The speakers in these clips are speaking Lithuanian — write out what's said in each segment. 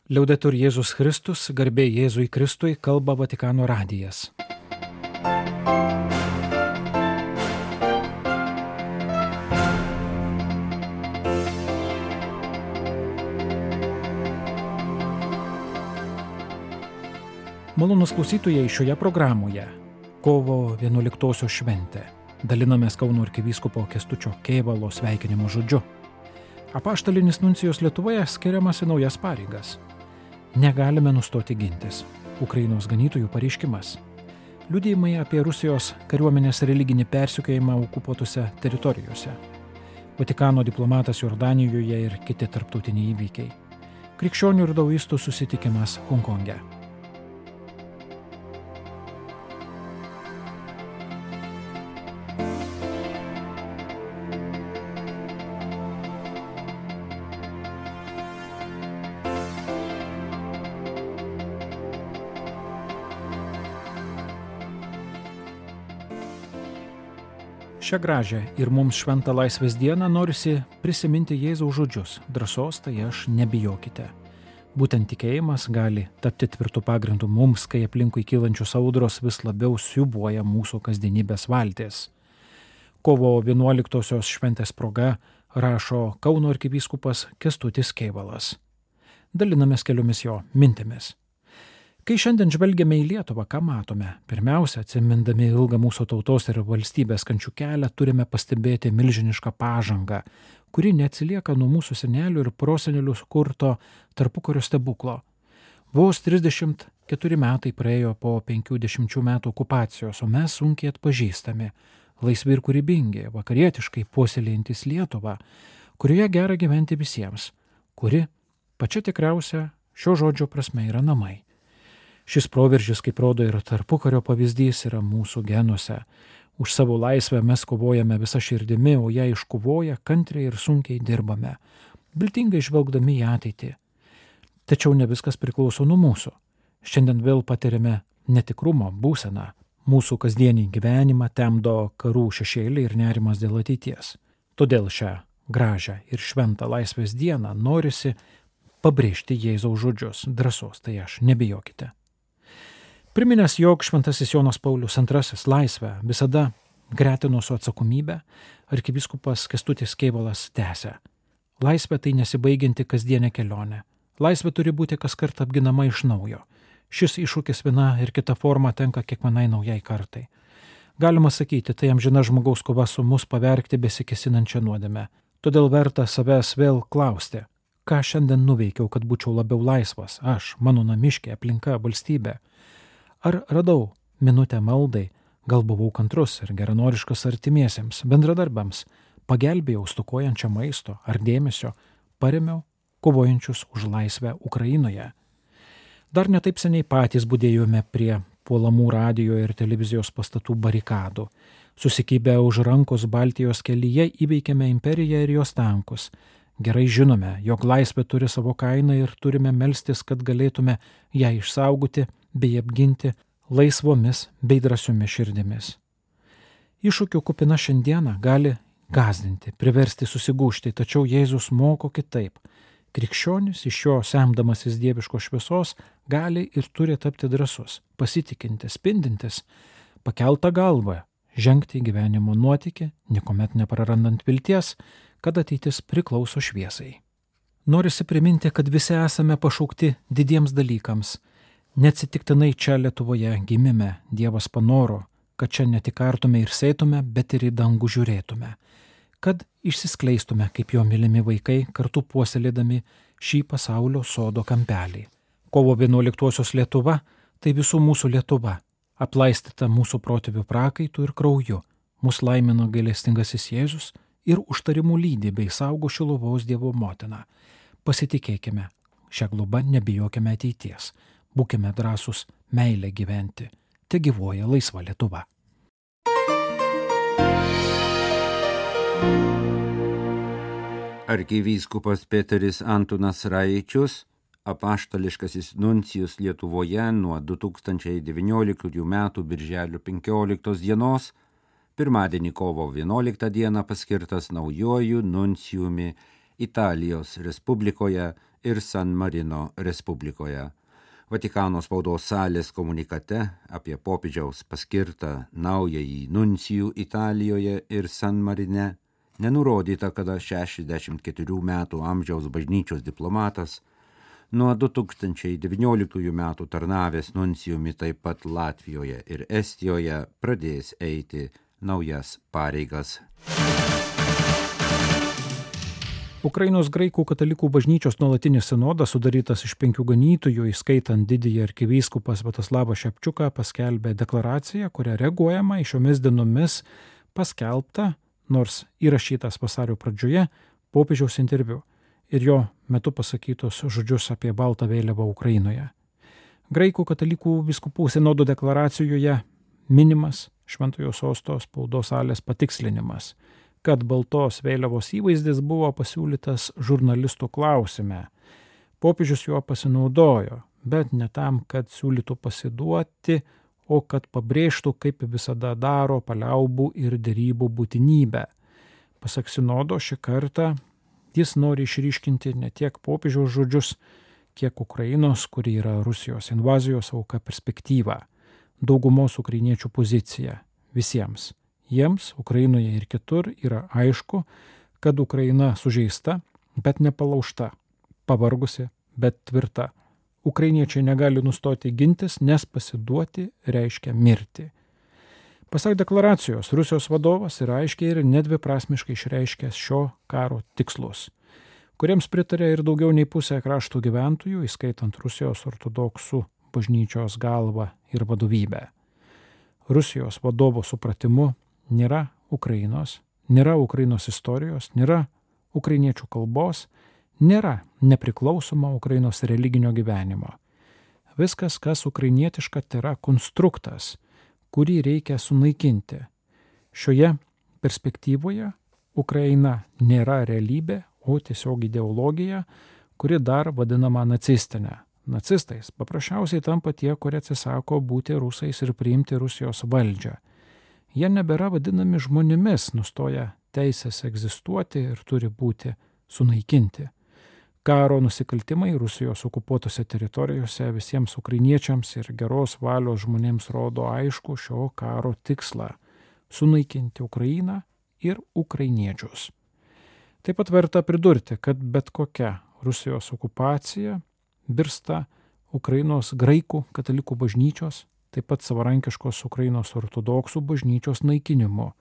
Liaudetur Jėzus Kristus, garbė Jėzui Kristui, kalba Vatikano radijas. Malonūs klausytojai, šioje programoje kovo 11 šventė. Dalinamės Kauno arkivyskupo Kęstučio Kėvalo sveikinimo žodžiu. Apaštalinis nuncijus Lietuvoje skiriamas į naujas pareigas. Negalime nustoti gintis. Ukrainos ganytojų pareiškimas. Liudijimai apie Rusijos kariuomenės religinį persekiojimą okupuotose teritorijose. Vatikano diplomatas Jordanijoje ir kiti tarptautiniai įvykiai. Krikščionių ir daoistų susitikimas Honkonge. Šią gražią ir mums šventą laisvės dieną norisi prisiminti Jėzaus žodžius: drąsos tai aš, nebijokite. Būtent tikėjimas gali tapti tvirtų pagrindų mums, kai aplinkui kylančios audros vis labiau siūbuoja mūsų kasdienybės valtis. Kovo 11-osios šventės proga rašo Kauno arkivyskupas Kęstutis Kėvalas. Dalinamės keliomis jo mintimis. Kai šiandien žvelgiame į Lietuvą, ką matome? Pirmiausia, atsimindami ilgą mūsų tautos ir valstybės kančių kelią, turime pastebėti milžinišką pažangą, kuri neatsilieka nuo mūsų senelių ir prosenelių kurto tarpukario stebuklo. Vos 34 metai praėjo po 50 metų okupacijos, o mes sunkiai atpažįstami, laisvi ir kūrybingi, vakarietiškai puoselėjantis Lietuvą, kurioje gera gyventi visiems, kuri pačia tikriausia šio žodžio prasme yra namai. Šis proveržis, kaip rodo ir tarpukario pavyzdys, yra mūsų genuose. Už savo laisvę mes kovojame visą širdimi, o ją iškovoję kantriai ir sunkiai dirbame, viltingai žvelgdami į ateitį. Tačiau ne viskas priklauso nuo mūsų. Šiandien vėl patiriame netikrumo būseną. Mūsų kasdienį gyvenimą temdo karų šešėliai ir nerimas dėl ateities. Todėl šią gražią ir šventą laisvės dieną norisi pabrėžti Jėzaus žodžius: drąsos tai aš, nebijokite. Priminęs, jog šventasis Jonas Paulius II laisvę visada gretino su atsakomybė, arkivyskupas Kęstutis Kėvalas tęsia: laisvė tai nesibaigianti kasdienė kelionė. Laisvė turi būti kaskart apginama iš naujo. Šis iššūkis viena ir kita forma tenka kiekvienai naujai kartai. Galima sakyti, tai amžina žmogaus kova su mus pavergti besikesinančią nuodėmę. Todėl verta savęs vėl klausti: ką šiandien nuveikiau, kad būčiau labiau laisvas, aš, mano namiškė, aplinka, valstybė? Ar radau minutę maldai, gal buvau kantrus ir geranoriškas artimiesiems, bendradarbiams, pagelbėjau stokojančią maisto ar dėmesio, paremiau kovojančius už laisvę Ukrainoje. Dar netaip seniai patys budėjome prie puolamų radijo ir televizijos pastatų barikadų. Susikibę už rankos Baltijos kelyje įveikėme imperiją ir jos tankus. Gerai žinome, jog laisvė turi savo kainą ir turime melstis, kad galėtume ją išsaugoti bei apginti laisvomis bei drąsiomis širdimis. Iššūkių kupina šiandiena gali gąsdinti, priversti susigūžti, tačiau Jėzus moko kitaip. Krikščionis iš jo semdamasis dieviškos šviesos gali ir turi tapti drąsus, pasitikintis, spindintis, pakeltą galvą, žengti į gyvenimo nuotykį, niekuomet neprarandant vilties, kad ateitis priklauso šviesai. Norisi priminti, kad visi esame pašaukti didiems dalykams. Neatsitiktinai čia Lietuvoje gimime, Dievas panoro, kad čia ne tik artume ir sėtume, bet ir į dangų žiūrėtume, kad išsiskleistume kaip jo mylimi vaikai, kartu puoselėdami šį pasaulio sodo kampelį. Kovo 11-osios Lietuva tai visų mūsų Lietuva, aplaistyta mūsų protėvių prakaitų ir krauju. Mus laimino gailestingasis Jėzus ir užtarimų lydi bei saugo Šiluvos Dievo motina. Pasitikėkime, šią globą nebijokime ateities. Būkime drąsūs meilę gyventi. Te gyvuoja laisva Lietuva. Arkivyskupas Peteris Antonas Raičius, apaštališkasis nuncijus Lietuvoje nuo 2019 m. birželio 15 dienos, pirmadienį kovo 11 dieną paskirtas naujuoju nuncijumi Italijos Respublikoje ir San Marino Respublikoje. Vatikano spaudos salės komunikate apie popiežiaus paskirtą naująjį nuncijų Italijoje ir San Marine nenurodyta, kada 64 metų amžiaus bažnyčios diplomatas nuo 2019 metų tarnavęs nuncijumi taip pat Latvijoje ir Estijoje pradės eiti naujas pareigas. Ukrainos graikų katalikų bažnyčios nuolatinis sinodas, sudarytas iš 5 ganytojų, įskaitant didįjį arkivyskupą Sviatoslavą Šepčiuką, paskelbė deklaraciją, kuria reaguojama į šiomis dienomis paskelbtą, nors įrašytas vasario pradžioje, popiežiaus interviu ir jo metu pasakytos žodžius apie baltą vėliavą Ukrainoje. Graikų katalikų vyskupų sinodo deklaracijoje minimas Šventojo sosto spaudos salės patikslinimas, kad baltos vėliavos įvaizdis buvo pasiūlytas žurnalistų klausime. Popiežius juo pasinaudojo, bet ne tam, kad siūlytų pasiduoti, o kad pabrėžtų, kaip visada daro, paliaubų ir derybų būtinybę. Pasak sinodo, šį kartą jis nori išryškinti ne tiek popiežiaus žodžius, kiek Ukrainos, kuri yra Rusijos invazijos auka, perspektyvą, daugumos ukrainiečių poziciją visiems. Jiems Ukrainoje ir kitur yra aišku, kad Ukraina sužeista, bet nepalaužta, pavargusi, bet tvirta. Ukrainiečiai negali nustoti gintis, nes pasiduoti reiškia mirti. Pasak deklaracijos, Rusijos vadovas yra aiškiai ir nedviprasmiškai išreiškęs šio karo tikslus, kuriems pritarė ir daugiau nei pusė krašto gyventojų, įskaitant Rusijos ortodoksų bažnyčios galvą ir vadovybę. Rusijos vadovo supratimu nėra Ukrainos istorijos, nėra ukrainiečių kalbos, nėra nepriklausomo Ukrainos religinio gyvenimo. Viskas, kas ukrainietiška, tai yra konstruktas, kurį reikia sunaikinti. Šioje perspektyvoje Ukraina nėra realybė, o tiesiog ideologija, kuri dar vadinama nacistinė. Nacistais paprasčiausiai tampa tie, kurie atsisako būti rusais ir priimti Rusijos valdžią. Jie nebėra vadinami žmonėmis, nustoja teisės egzistuoti ir turi būti sunaikinti. Karo nusikaltimai Rusijos okupuotose teritorijose visiems ukrainiečiams ir geros valios žmonėms rodo aišku šio karo tikslą – sunaikinti Ukrainą ir ukrainiečius. Taip pat verta pridurti, kad bet kokia Rusijos okupacija virsta Ukrainos graikų katalikų bažnyčios, taip pat savarankiškos Ukrainos ortodoksų bažnyčios naikinimu,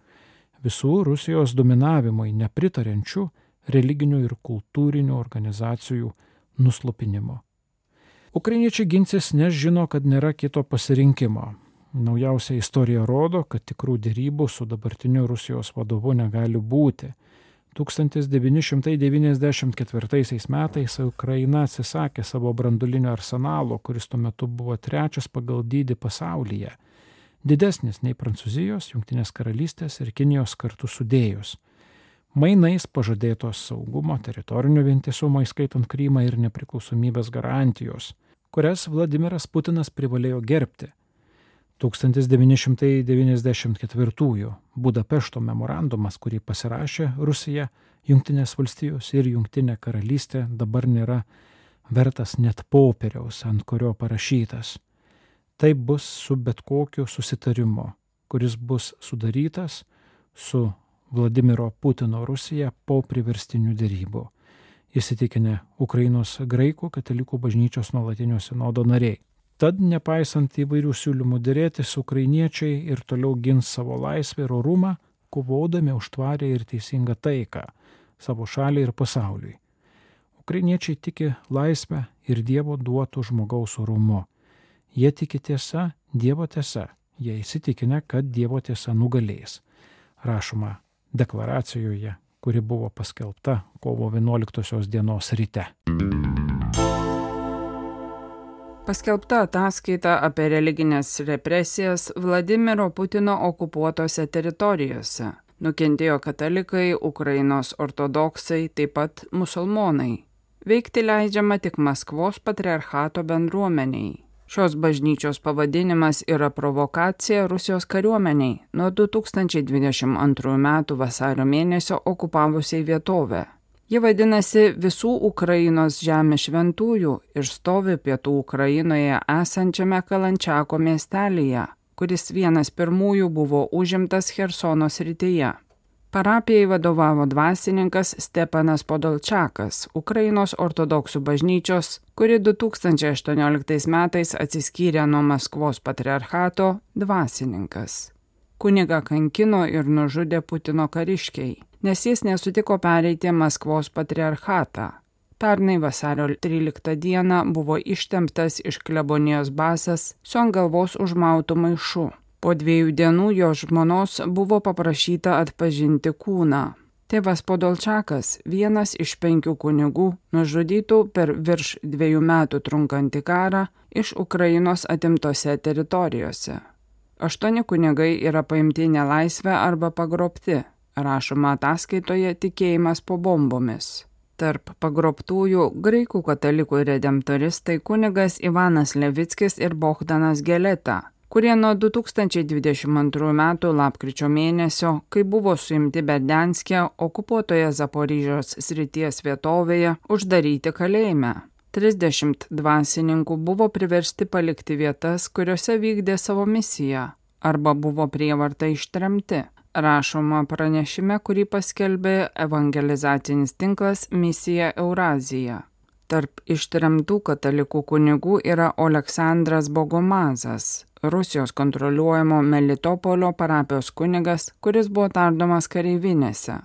visų Rusijos dominavimui nepritariančių religinių ir kultūrinių organizacijų nuslopinimo. Ukrainiečiai ginsis, nes žino, kad nėra kito pasirinkimo. Naujausia istorija rodo, kad tikrų derybų su dabartiniu Rusijos vadovu negali būti. 1994 metais Ukraina atsisakė savo branduolinio arsenalo, kuris tuo metu buvo 3. pagal dydį pasaulyje, didesnis nei Prancūzijos, Jungtinės karalystės ir Kinijos kartu sudėjus. Mainais pažadėtos saugumo, teritorinio vientisumo, įskaitant Krymą ir nepriklausomybės garantijos, kurias Vladimiras Putinas privalėjo gerbti. 1994 Budapešto memorandumas, kurį pasirašė Rusija, Jungtinės valstijos ir Jungtinė karalystė, dabar nėra vertas net popieriaus, ant kurio parašytas. Taip bus su bet kokiu susitarimu, kuris bus sudarytas su Vladimiro Putino Rusija po priverstinių derybų, įsitikinę Ukrainos graikų katalikų bažnyčios nuolatinio sinodo nariai. Tad, nepaisant įvairių siūlymų derėtis, ukrainiečiai ir toliau gins savo laisvę ir orumą, kovodami už tvarią ir teisingą taiką savo šaliai ir pasauliui. Ukrainiečiai tiki laisvę ir Dievo duotų žmogaus orumu. Jie tiki tiesa, Dievo tiesa. Jie įsitikinę, kad Dievo tiesa nugalės. Rašoma deklaracijoje, kuri buvo paskelbta kovo 11 dienos ryte. Paskelbta ataskaita apie religinės represijas Vladimiro Putino okupuotose teritorijose. Nukentėjo katalikai, Ukrainos ortodoksai, taip pat musulmonai. Veikti leidžiama tik Maskvos patriarchato bendruomeniai. Šios bažnyčios pavadinimas yra provokacija Rusijos kariuomeniai nuo 2022 metų vasario mėnesio okupavusiai vietovę. Ji vadinasi Visų Ukrainos žemės šventųjų ir stovi pietų Ukrainoje esančiame Kalančiako miestelyje, kuris vienas pirmųjų buvo užimtas Chersono srityje. Parapijai vadovavo dvasininkas Stepanas Podolčakas, Ukrainos ortodoksų bažnyčios, kuri 2018 metais atsiskyrė nuo Maskvos patriarchato, dvasininkas. Kunigą kankino ir nužudė Putino kariškiai, nes jis nesutiko pereiti Maskvos patriarchatą. Pernai vasario 13 dieną buvo ištemptas iš klebonijos basas su ant galvos užmautu maišu. Po 2 dienų jo žmonos buvo paprašyta atpažinti kūną. Tėvas Podolčakas, vienas iš 5 kunigų, nužudytų per virš 2 metų trunkantį karą iš Ukrainos atimtose teritorijose. 8 kunigai yra paimti į nelaisvę arba pagrobti, rašoma ataskaitoje Tikėjimas po bombomis. Tarp pagrobtųjų graikų katalikų redemptoristai kunigas Ivanas Levickis ir Bohdanas Geleta, kurie nuo 2022 metų lapkričio mėnesio, kai buvo suimti Berdianske, okupuotoje Zaporižės srities vietovėje, uždaryti kalėjime. 30 dvasininkų buvo priversti palikti vietas, kuriuose vykdė savo misiją, arba buvo prievarta ištremti, rašoma pranešime, kurį paskelbė evangelizacinis tinklas Misija Eurazija. Tarp ištremtų katalikų kunigų yra Oleksandras Bogomazas, Rusijos kontroliuojamo Melitopolio parapijos kunigas, kuris buvo tardomas kareivinėse.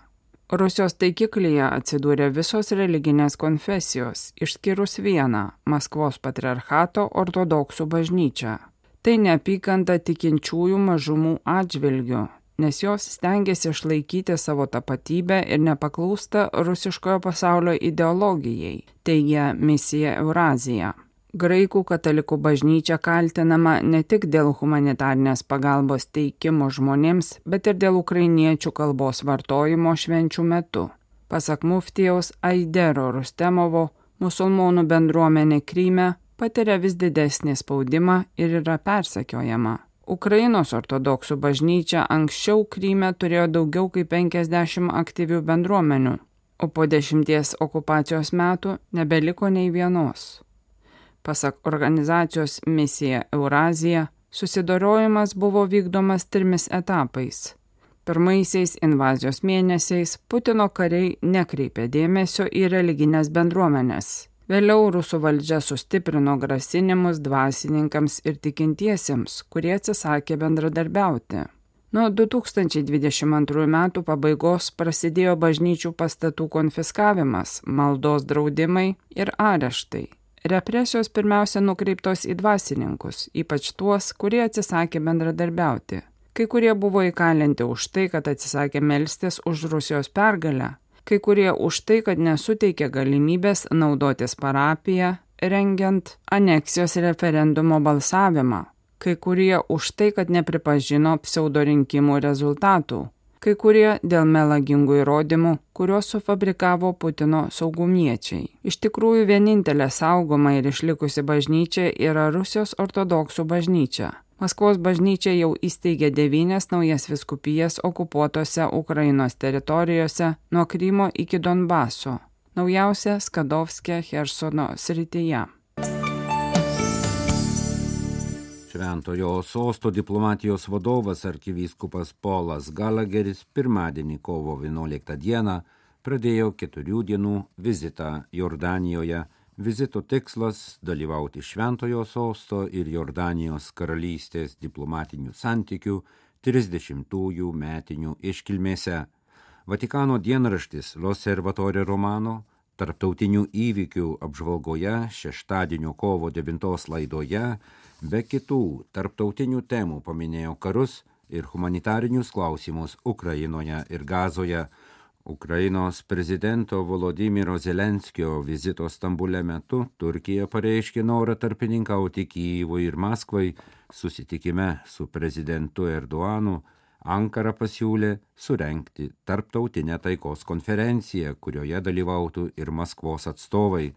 Rusijos taikiklyje atsidūrė visos religinės konfesijos, išskyrus vieną – Maskvos patriarchato ortodoksų bažnyčią. Tai neapykanta tikinčiųjų mažumų atžvilgių, nes jos stengiasi išlaikyti savo tapatybę ir nepaklūsta rusiškojo pasaulio ideologijai, teigia Misija Eurazija. Graikų katalikų bažnyčia kaltinama ne tik dėl humanitarnės pagalbos teikimo žmonėms, bet ir dėl ukrainiečių kalbos vartojimo švenčių metu. Pasak muftijaus Aidero Rustemovo, musulmonų bendruomenė Kryme patiria vis didesnį spaudimą ir yra persekiojama. Ukrainos ortodoksų bažnyčia anksčiau Kryme turėjo daugiau kaip 50 aktyvių bendruomenių, o po 10 okupacijos metų nebeliko nei vienos. Pasak organizacijos Misija Eurazija, susidorojimas buvo vykdomas 3 etapais. Pirmaisiais invazijos mėnesiais Putino kariai nekreipė dėmesio į religinės bendruomenės. Vėliau rusų valdžia sustiprino grasinimus dvasininkams ir tikintiesiems, kurie atsisakė bendradarbiauti. Nuo 2022 metų pabaigos prasidėjo bažnyčių pastatų konfiskavimas, maldos draudimai ir areštai. Represijos pirmiausia nukreiptos į dvasininkus, ypač tuos, kurie atsisakė bendradarbiauti. Kai kurie buvo įkalinti už tai, kad atsisakė melstis už Rusijos pergalę, kai kurie už tai, kad nesuteikė galimybės naudotis parapiją, rengiant aneksijos referendumo balsavimą, kai kurie už tai, kad nepripažino pseudorinkimų rezultatų, kai kurie dėl melagingų įrodymų, kuriuos sufabrikavo Putino saugumiečiai. Iš tikrųjų, vienintelė saugoma ir išlikusi bažnyčia yra Rusijos ortodoksų bažnyčia. Maskvos bažnyčia jau įsteigė 9 naujas vyskupijas okupuotose Ukrainos teritorijose nuo Krymo iki Donbaso, naujausia Skadovske Chersono srityje. Šventojo sosto diplomatijos vadovas arkivyskupas Polas Galageris pirmadienį kovo 11 dieną pradėjo 4 dienų vizitą Jordanijoje. Vizito tikslas – dalyvauti Šventojo sosto ir Jordanijos karalystės diplomatinių santykių 30-ųjų metinių iškilmėse. Vatikano dienraštis L'Osservatore Romano tarptautinių įvykių apžvalgoje šeštadienio kovo 9 laidoje be kitų tarptautinių temų paminėjo karus ir humanitarinius klausimus Ukrainoje ir Gazoje. Ukrainos prezidento Volodymyro Zelenskio vizito Stambule metu Turkija pareiškė norą tarpininkauti Kyjivui ir Maskvai. Susitikime su prezidentu Erdoanu Ankara pasiūlė surengti tarptautinę taikos konferenciją, kurioje dalyvautų ir Maskvos atstovai.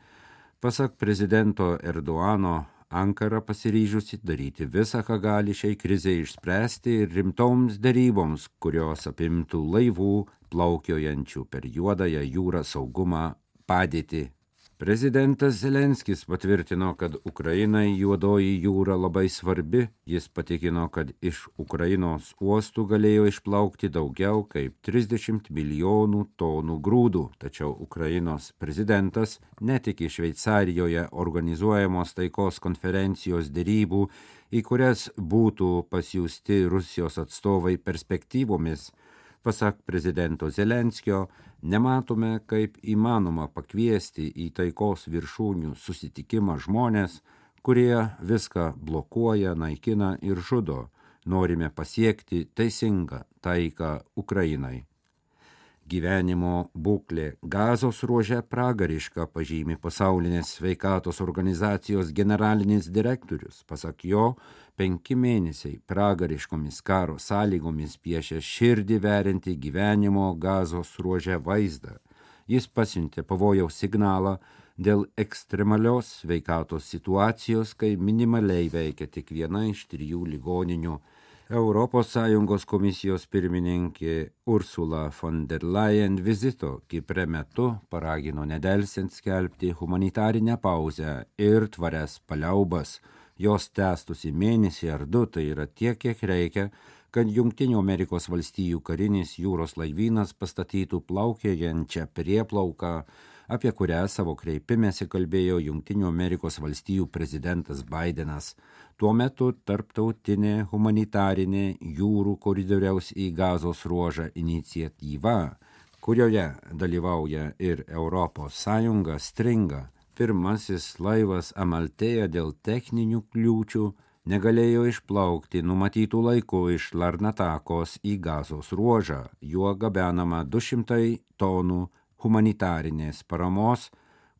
Pasak prezidento Erdoano, Ankara pasiryžusi daryti visą, ką gali šiai krizei išspręsti ir rimtoms deryboms, kurios apimtų laivų, plaukiojančių per Juodąją jūrą saugumą padėtį. Prezidentas Zelenskis patvirtino, kad Ukrainai Juodoji jūra labai svarbi. Jis patikino, kad iš Ukrainos uostų galėjo išplaukti daugiau kaip 30 milijonų tonų grūdų. Tačiau Ukrainos prezidentas netiki Šveicarijoje organizuojamos taikos konferencijos derybų, į kurias būtų pasiųsti Rusijos atstovai perspektyvomis. Pasak prezidento Zelenskio, nematome, kaip įmanoma pakviesti į taikos viršūnių susitikimą žmonės, kurie viską blokuoja, naikina ir žudo. Norime pasiekti teisingą taiką Ukrainai. Gyvenimo būklė Gazos ruože pragariška, pažymi Pasaulinės sveikatos organizacijos generalinis direktorius. Pasak jo, 5 mėnesiai pragariškomis karo sąlygomis piešia širdį veriantį gyvenimo Gazos ruože vaizdą. Jis pasiuntė pavojaus signalą dėl ekstremalios sveikatos situacijos, kai minimaliai veikia tik viena iš 3 ligoninių. ES komisijos pirmininkė Ursula von der Leyen vizito Kipre metu paragino nedelsiant skelbti humanitarinę pauzę ir tvarias paliaubas. Jos tęstųsi mėnesį ar 2, tai yra tiek, kiek reikia, kad Jungtinių Amerikos valstijų karinis jūros laivynas pastatytų plaukiojančią prieplauką, apie kurią savo kreipimėsi kalbėjo Jungtinių Amerikos valstijų prezidentas Bidenas. Tuo metu tarptautinė humanitarinė jūrų koridoriaus į Gazos ruožą iniciatyva, kurioje dalyvauja ir ES, stringa. Pirmasis laivas Amaltėja dėl techninių kliūčių negalėjo išplaukti numatytų laiku iš Larnatakos į Gazos ruožą. Juo gabenama 200 tonų humanitarinės paramos,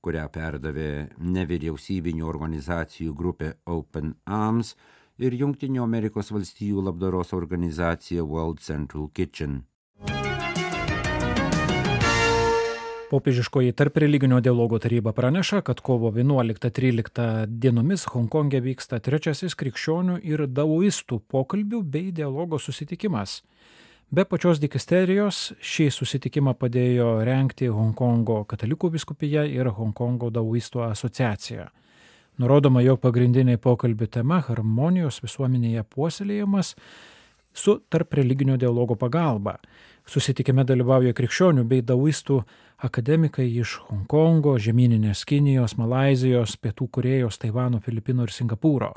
kurią perdavė nevyriausybinių organizacijų grupė Open Arms ir Jungtinių Amerikos valstijų labdaros organizacija World Central Kitchen. Popiežiškoji tarpreliginio dialogo taryba praneša, kad kovo 11-13 dienomis Honkonge vyksta 3. krikščionių ir daoistų pokalbių bei dialogo susitikimas. Be pačios dikasterijos šį susitikimą padėjo rengti Honkongo katalikų vyskupija ir Honkongo daoistų asociacija. Nurodoma, jog pagrindinė pokalbių tema harmonijos visuomenėje puoselėjimas su tarpreliginio dialogo pagalba. Susitikime dalyvauja krikščionių bei daoistų akademikai iš Honkongo, žemyninės Kinijos, Malaizijos, Pietų Korėjos, Taivano, Filipinų ir Singapūro.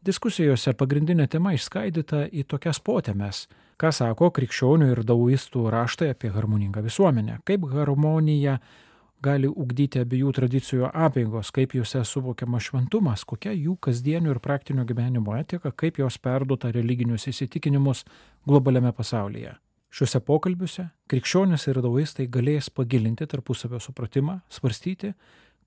Diskusijose pagrindinė tema išskaidyta į tokias potemes, ką sako krikščionių ir daoistų raštai apie harmoningą visuomenę, kaip harmonija gali ugdyti abiejų tradicijų apeigos, kaip juose suvokiama šventumas, kokia jų kasdienio ir praktinio gyvenimo etika, kaip jos perduota religinius įsitikinimus globaliame pasaulyje. Šiuose pokalbiuose krikščionys ir daoistai galės pagilinti tarpusavio supratimą, svarstyti,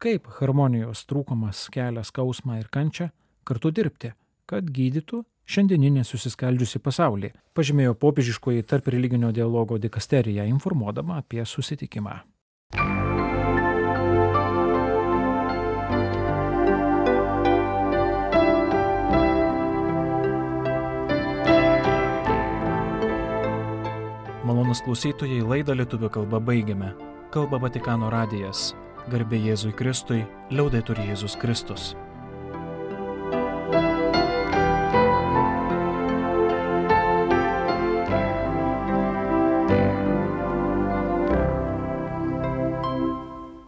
kaip harmonijos trūkumas kelia skausmą ir kančią, kartu dirbti, kad gydytų šiandieninį susiskaldžiusi pasaulį, pažymėjo popiežiškoji tarpreliginio dialogo dikasterija, informuodama apie susitikimą. Malonus klausytojai, laidą lietuvių kalba baigiame. Kalba Vatikano radijas. Garbė Jėzui Kristui, liaudetur Jėzus Kristus.